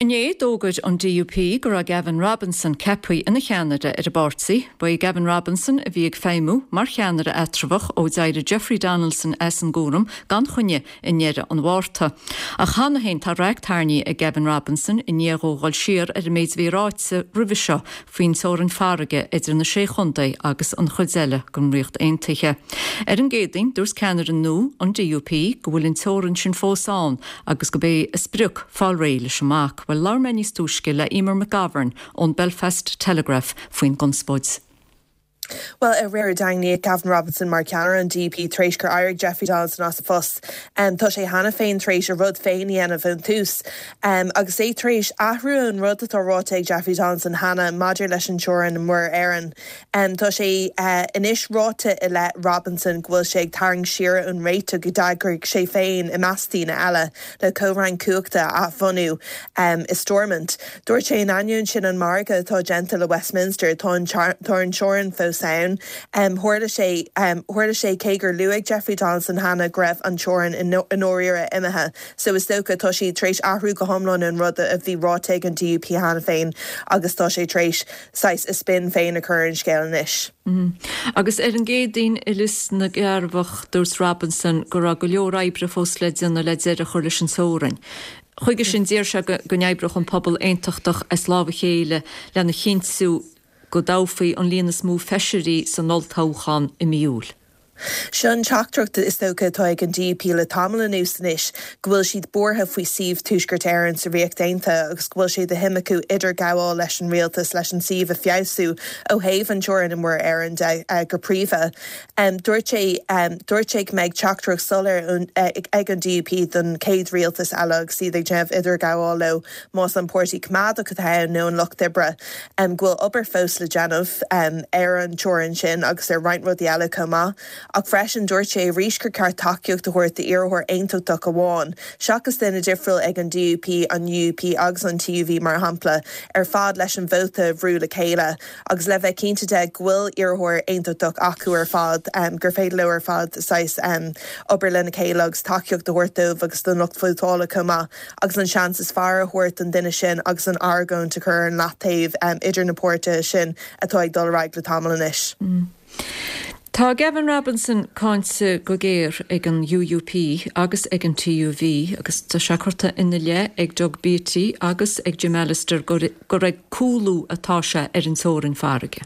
Inné, d'fhógair an DUP go raibh Gavin Robinson ceaptha ina cheannaire ar an bpáirtí. Ba é Gavin Robinson a bhí ag feidhmiú mar cheannaire eatramhach ó d'éirigh Jeffrey Donaldson as an gcúram gan choinne i ndeireadh an Mhárta. Ach cheana féin tá raic tarraingthe ag Gavin Robinson i ndiaidh dhó dhul siar ar an méid a bhí ráite roimhe seo faoin teorainn farraige idir na Sé Chontae agus an chuid eile den Ríocht Aontaithe. Ar an gCéadaoin, dúirt ceannaire nua an DUP go bhfuil an teorainn sin fós ann agus gurb é a sprioc fáil réidh leis an mbac. Bhuel, labhair mé níos túisce le Eimear McGovern ón Belfast Telegraph faoin gconspóid. Bhuel, aréir daingníodh Gavin Robinson mar cheannaire an DUP tar éis gur éirigh Jeffrey Donaldson as a phost. Tá sé cheana féin tar éis a rud féin a dhéanamh ón tús. Agus é tar éis athrú ón rud atá ráite ag Jeffrey Donaldson cheana maidir leis an teorainn i Muir Éireann. Tá sé anois ráite i leith Robinson go bhfuil sé ag tarraingt siar ón réiteach a d'eagraigh sé féin, i measc daoine eile, le comhroinnt cumhachta a athbhunú i Stormont. Dúirt sé in ainneoin sin an margadh atá déanta le Westminster, tá an teorainn fós ann. Tharla sé, tharla sé cé gur luaigh Jeffrey Donaldson cheana go raibh an teorainn i ndáiríre imithe. So is dócha, tá sé tar éis athrú go hiomlán ón rud a bhí ráite ag an DUP cheana féin agus tá sé tar éis saghas a spin féin a chur ar an scéal anois. Agus ar an gCéadaoin i Lios na gCearrbhach dúirt Robinson go raibh go leor oibre fós le déanamh le deireadh a chur leis an teorainn. Chuige sin d'iarr sé go n-oibreodh an pobal aontachtach as lámh a chéile lena chinntiú go dtoghfaí an líon is mó feisirí san olltoghchán i mí Iúil. Seo an teachtaireacht is dócha atá ag an DUP le tamall anuas anois, go bhfuil siad buartha faoi suíomh Tuaisceart Éireann sa Ríocht Aontaithe agus go bhfuil sé de shuim acu idirghabháil leis an rialtas leis an suíomh a feabhsú ó thaobh an teorainn i Muir Éireann de go príomha. Dúirt sé dúirt sé go mbeidh teachtaireacht soiléir ag an DUP don chéad rialtas eile agus iad ag déanamh idirghabháil leo, más an Páirtí Coimeádach atá ann nó an Lucht Oibre. go bhfuil obair fós le déanamh ar an teorainn sin agus ar roinnt rudaí eile chomh maith. Ach freisin, dúirt sé arís gur ceart tacaíocht a thabhairt d'iarrthóir aontachtach amháin, seachas duine difriúil ag an DUP, an UUP agus an TUV, mar shampla, ar fad leis an vóta a bhrú le chéile agus le bheith cinnte de go bhfuil iarrthóir aontachtach acu ar fad, gur féidir leo ar fad saghas obair lena chéile agus tacaíocht a thabhairt dóibh agus don lucht vótála chomh maith. agus an seans is fearr a thabhairt don duine sin agus an argóint a chur ar an leataobh idir na páirtithe sin atá ag dul ar aghaidh le tamall anois. Tá Gavin Robinson cáinte go géar ag an UUP agus ag an TUV agus tá sé curtha ina leith ag Doug Beattie agus ag Jim Allister gur ag cúlú atá sé ar an teorainn farraige.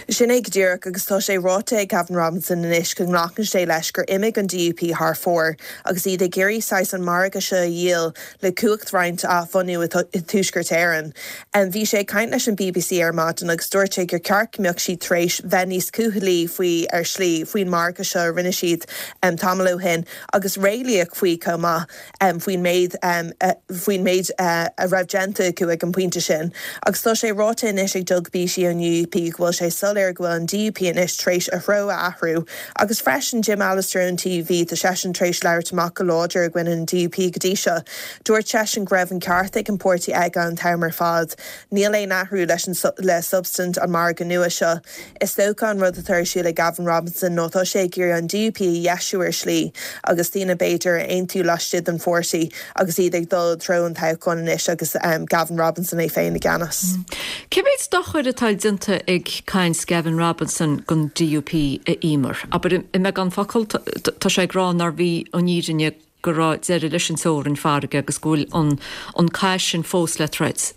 Sin é go díreach, agus tá sé ráite ag Gavin Robinson anois go nglacann sé leis gur imigh an DUP thar fóir agus iad ag iarraidh saghas an margadh seo a dhíol le cumhacht-roinnt a athbhunú i dTuaisceart Éireann. Bhí sé ag caint leis an bbc ar maidin agus dúirt sé gur ceart go mbeadh siad tar éis bheith níos cúthalaí faoi, ar shlí, faoin margadh seo a rinne siad tamall ó shin agus réalaíoch faoi chomh maith. faoin méid faoin méid a raibh déanta acu ag an bpointe sin. Agus tá sé ráite anois ag Doug Beattie ón UUP go bhfuil sé soiléir go bhfuil an DUP anois tar éis a threo a athrú. Agus freisin Jim Allister ón TUV, tá seisean tar éis labhairt amach go láidir i gcoinne an DUP go dtí seo. Dúirt seisean go raibh an ceart ag an páirtí aige an t-am ar fad. Níl aon athrú leis an le substaint an margadh nua seo. Is dócha an rud atá ar siúl ag Gavin Robinson ná tá sé ag iarraidh an DUP a dheisiú ar shlí agus daoine b'fhéidir a aontú laistigh den pháirtí agus iad ag dul i dtreo an toghcháin anois agus Gavin Robinson é féin i gceannas. Cé mhéad dochair atá déanta ag caint Gavin Robinson don DUP, a Eimear? Abair i mbeagán focal, tá sé ag rá nárbh í an fhírinne go raibh deireadh leis an teorainn farraige agus go bhfuil an an cath sin fós le troid.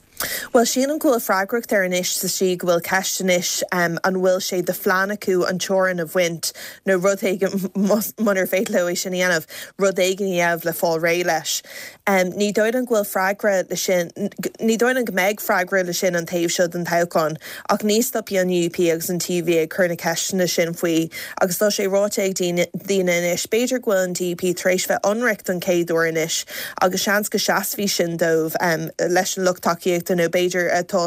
Bhuel, sílim go bhfuil freagracht air anois sa tslí go bhfuil ceist anois an bhfuil sé de phlean acu an teorainn a bhaint nó rud éigin, munar féidir leo é sin a dhéanamh, rud éigin a dhéanamh le fáil réidh leis. Ní dóigh liom go bhfuil freagra le sin, ní dóigh liom go mbeidh freagra le sin an taobh seo den toghchán ach ní stopfaidh an UUP agus an TUV ag cur na ceisteanna sin faoi agus tá sé ráite ag daoine anois, b'fhéidir go bhfuil an DUP tar éis bheith ionraic don chéad uair anois agus seans go seasfaidh sin dóibh leis an lucht tacaíochta nó b'fhéidir atá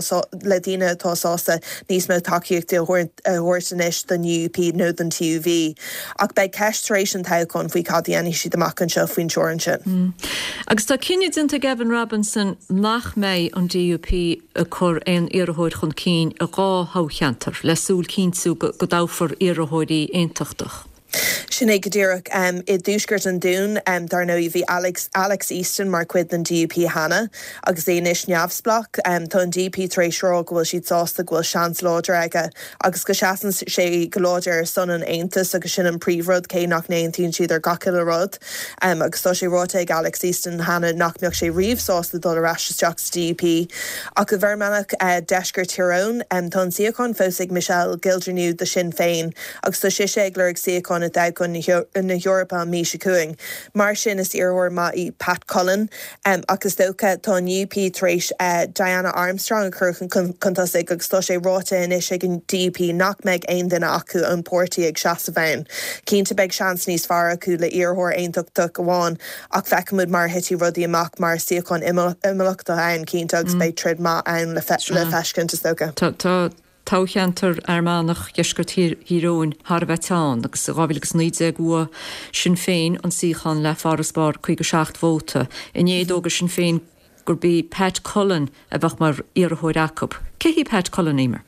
le daoine atá sásta níos mó tacaíochta a thabhairt anois don UUP nó don TUV. Ach beidh ceist tar éis an toghcháin faoi cad a dhéanfaidh siad amach anseo faoin teorainn sin. Agus tá cinneadh déanta ag Gavin Robinson nach mbeidh an DUP ag cur aon iarrthóir chun cinn i dá thoghcheantar le súil cinntiú go dtoghfar iarrthóirí aontachtach. Sin é go díreach. I dtuaisceart an Dúin, dar ndóigh, bhí Alex Alex Easton mar chuid den DUP cheana agus é anois neamhspleách. Tá an DUP tar éis rá go bhfuil siad sásta go bhfuil seans láidir aige agus go seasann sé go láidir ar son an Aontais agus sin an príomhrud, cé nach n-aontaíonn siad ar gach uile rud. Agus tá sé ráite ag Alex Easton cheana nach mbeadh sé riamh sásta dul ar ais isteach sa DUP. Ach i bhFear Manach, Deisceart Thír Eoghain, tá an suíochán fós ag Michelle Gildernew do Shinn Féin agus tá sise ag lorg suíochán i dtoghchán na hEorpa an mhí seo chugainn. Mar sin is iarrthóir maith í Pat Cullen. Ach is dócha, tá an UUP tar éis Diana Armstrong a chur chun tosaigh agus tá sé ráite anois ag an DUP nach mbeidh aon duine acu ón bpáirtí ag seasamh ann. Cinnte beidh seans níos fearr acu le iarrthóir aontachtach amháin ach feicfimid mar a thitfidh rudaí amach mar suíochán imeallach atá ann cinnte agus beidh troid maith ann le feiscint is dócha. Tá toghcheantar Fhear Manach, Dheisceart Thír Eoghain thar a bheith teann agus i 2019 bhuaigh Sinn Féin an suíochán le farasbarr 57 vóta. Inné d'fhógair Sinn Féin gurb í Pat Cullen a bheadh mar iarrthóir acu. Cé hí Pat Cullen, Emer?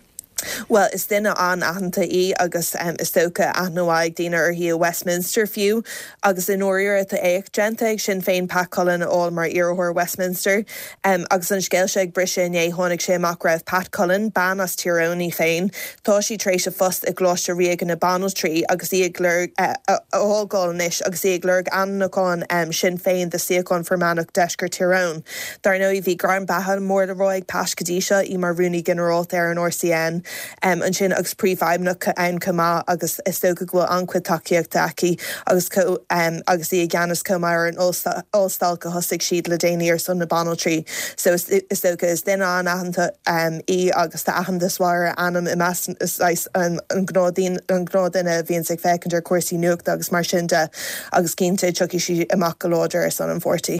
Bhuel, is duine an-aitheanta í agus is dócha aithne mhaith ag daoine uirthi i Westminster fiú. Agus i ndáiríre tá éacht déanta ag Sinn Féin Pat Cullen a fháil mar iarrthóir Westminster. Agus an scéal seo ag briseadh inné tháinig sé amach go raibh Pat Cullen, bean as Tír Eoghain í féin, tá sí tar éis a phost i gColáiste Ríoga na Banaltraí agus í ag lorg, a fhágáil anois agus í ag lorg ainmniúchán Sinn Féin do suíochán Fear Manach Deisceart Thír Eoghain. Dar ndóigh, bhí gairm beatha mór le rá ag Pat go dtí seo, í mar Rúnaí Ginearálta ar an RCN ansin agus Príomhfheidhmeannach ann chomh maith agus is dócha go bhfuil an-chuid tacaíochta aici agus agus í i gceannas chomh maith ar an ollstailc a thosaigh siad le déanaí ar son na banaltraí. So is dócha, is duine an-aitheanta í agus tá aitheantas mhaith ar a ainm i measc saghas an gnáthdhuine a bhíonns ag féachaint ar chúrsaí nuachta agus mar sin de agus cinnte tiocfaidh sí amach go láidir ar son an pháirtí.